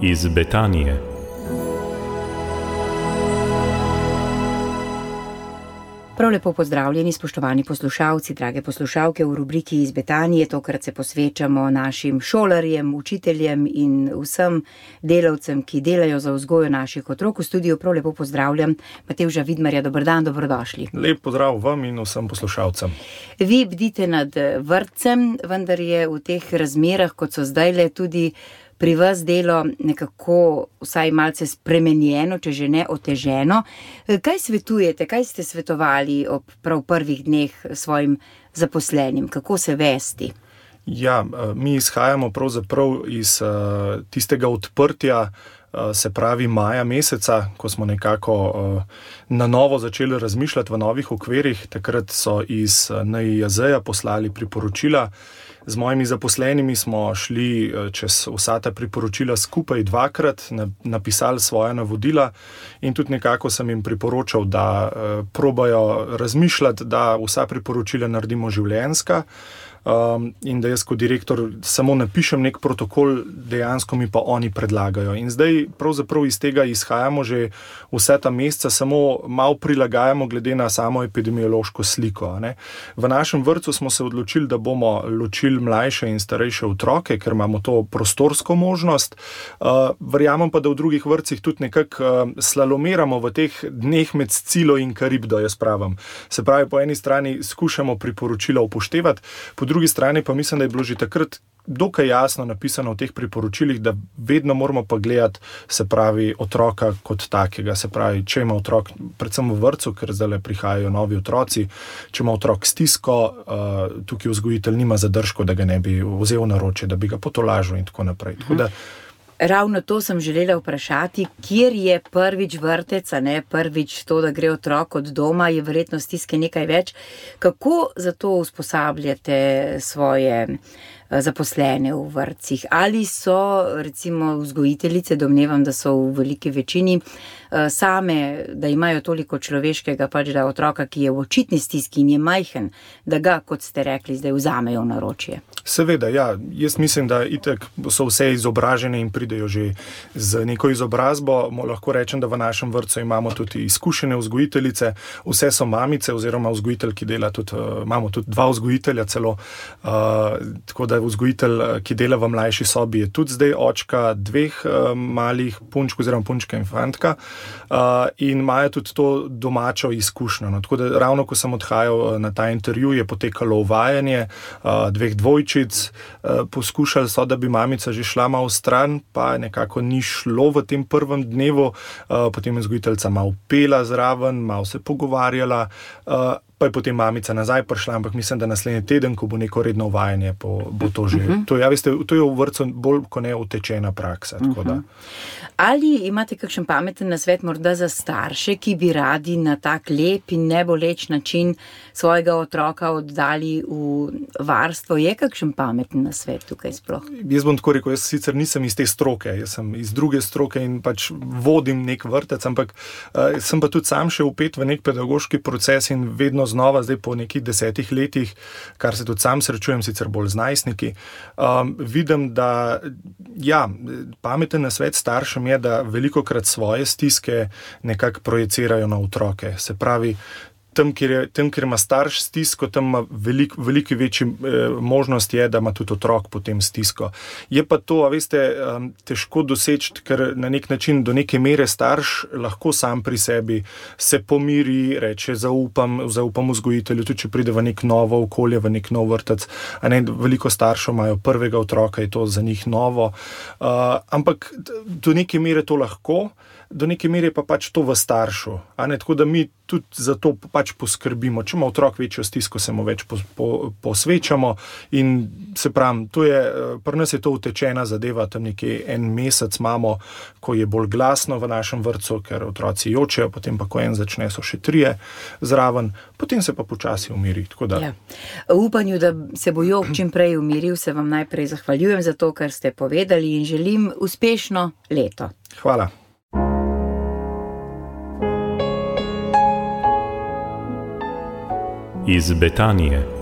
iz Betanije. Prav lepo pozdravljeni, spoštovani poslušalci, drage poslušalke v rubriki iz Betanije. Tokrat se posvečamo našim šolarjem, učiteljem in vsem delavcem, ki delajo za vzgojo naših otrok. V studiu prav lepo pozdravljam Matevža Vidmarja. Dober dan, dobrodošli. Lep pozdrav vam in vsem poslušalcem. Vi bdite nad vrtcem, vendar je v teh razmerah, kot so zdajle, tudi pri vas delo nekako vsaj malce spremenjeno, če že ne oteženo. Kaj svetujete, kaj ste svetovali ob prav prvih dneh svojim zaposlenim? Kako se vesti? Ja, mi izhajamo pravzaprav iz tistega odprtja, se pravi maja meseca, ko smo nekako na novo začeli razmišljati v novih okvirih. Takrat so iz NIJZ-ja poslali priporočila. Z mojimi zaposlenimi smo šli čez vsa ta priporočila skupaj dvakrat, napisali svoja navodila in tudi nekako sem jim priporočal, da probajo razmišljati, da vsa priporočila naredimo življenjska. In da jaz kot direktor samo napišem nek protokol, dejansko mi pa oni predlagajo. In zdaj pravzaprav iz tega izhajamo že vse ta meseca, samo malo prilagajamo glede na samo epidemiološko sliko. Ne. V našem vrtcu smo se odločili, da bomo ločili mlajše in starejše otroke, ker imamo to prostorsko možnost. Verjamem pa, da v drugih vrtcih tudi nekako slalomiramo v teh dneh med Scilo in Karibdo, jaz pravim. Se pravi, po eni strani skušamo priporočila upoštevati, po drugi strani pa mislim, da je bilo že takrat dokaj jasno napisano v teh priporočilih, da vedno moramo pa gledati, se pravi, otroka kot takega. Se pravi, če ima otrok, predvsem v vrtcu, ker zdaj prihajajo novi otroci, če ima otrok stisko, tukaj vzgojitelj nima zadržkov, da ga ne bi vzel na roče, da bi ga potolažil in tako naprej. Tako da ravno to sem želela vprašati, kjer je prvič vrtec, a ne prvič to, da gre otrok od doma, je verjetno stiske nekaj več. Kako zato usposabljate svoje zaposlene v vrtcih? Ali so recimo vzgojiteljice, domnevam, da so v veliki večini, same, da imajo toliko človeškega, pač da otroka, ki je v očitni stiski in je majhen, da ga, kot ste rekli, zdaj vzamejo v naročje? Seveda, ja. Jaz mislim, da itak so vse izobražene in pridejo že z neko izobrazbo. Lahko rečem, da v našem vrtcu imamo tudi izkušene vzgojiteljice, vse so mamice oziroma vzgojitelj, ki dela tudi, imamo tudi dva vzgojitelja celo, tako da vzgojitelj, ki dela v mlajši sobi, je tudi zdaj očka dveh malih punčk oziroma punčka in fantka, in imajo tudi to domačo izkušnjo. No, tako da ravno ko sem odhajal na ta intervju, je potekalo uvajanje dveh dvojčic, poskušali so, da bi mamica že šla malo stran, pa nekako ni šlo v tem prvem dnevu, potem je vzgojiteljica malo pela zraven, malo se pogovarjala, pa je potem mamica nazaj prišla, ampak mislim, da naslednji teden, ko bo neko redno uvajanje, bo to že. To je v vrtcu bolj kot ne utečena praksa. Tako da. Ali imate kakšen pameten nasvet morda za starše, ki bi radi na tak lep in neboleč način svojega otroka oddali v varstvo? Je kakšen pameten nasvet tukaj sploh? Jaz bom tako rekel, jaz sicer nisem iz te stroke, jaz sem iz druge stroke in pač vodim nek vrtec, ampak sem pa tudi sam še vpet v nek pedagoški proces in vedno znova, zdaj po nekih 10 letih, kar se tudi sam srečujem, sicer bolj z najstniki, vidim, da ja, pameten nasvet staršem je, da velikokrat svoje stiske nekako projicirajo na otroke. Se pravi, tam, kjer ima starš stisko, tam ima veliko večji možnost je, da ima tudi otrok potem stisko. Je pa to, a veste, težko doseči, ker na nek način do neke mere starš lahko sam pri sebi se pomiri, reče zaupam vzgojitelju, tudi če pride v nek novo okolje, v nek nov vrtec. A ne, veliko staršev imajo prvega otroka, je to za njih novo. Ampak do neke mere to lahko, do neke mere pa pač to v staršu. A ne, tako da mi tudi za to pač poskrbimo. Če ima otrok večjo stisko, se mu več posvečamo in se pravim, pri nas je to utečena zadeva, tam nekje en mesec imamo, ko je bolj glasno v našem vrtcu, ker otroci jočejo, potem pa ko en začne, so še 3 zraven, potem se pa počasi umiri. Tako da. Ja. V upanju, da se bo jok čim prej umiril, se vam najprej zahvaljujem za to, kar ste povedali in želim uspešno leto. Hvala. Iz Betanije.